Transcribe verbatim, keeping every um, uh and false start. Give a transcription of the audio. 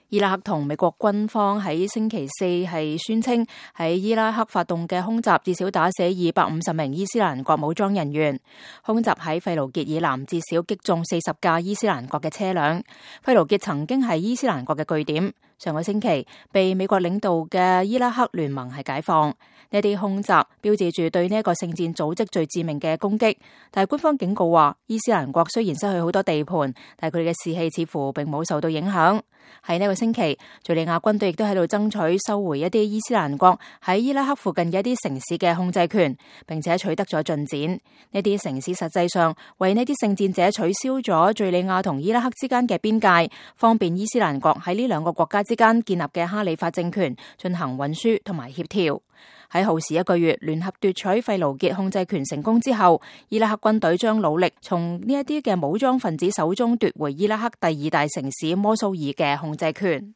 伊拉克同美國軍方喺星期四係宣稱喺伊拉克發動嘅空襲至少打死二百五十名伊斯蘭國武裝人員。空襲喺費盧傑以南至少擊中四十架伊斯蘭國嘅車輛。費盧傑曾經係伊斯蘭國嘅據點，上個星期被美國領導嘅伊拉克聯盟係解放。呢啲空襲標誌住對呢一個聖戰組織最致命嘅攻擊，但係官方警告話，伊斯蘭國雖然失去好多地盤，但係佢哋嘅士氣似乎並冇受到影響。喺呢個星期，敘利亞軍隊亦都喺度爭取收回一啲伊斯蘭國喺伊拉克附近嘅一啲城市嘅控制權，並且取得咗進展。呢啲城市實際上為呢啲聖戰者取消咗敘利亞同伊拉克之間嘅邊界，方便伊斯蘭國喺呢兩個國家之間建立嘅哈里發政權進行運輸同埋協調。喺耗時一個月聯合奪取費盧傑控制權成功之後，伊拉克軍隊將努力從呢一啲嘅武裝分子手中奪回伊拉克第二大城市摩蘇爾嘅控制權。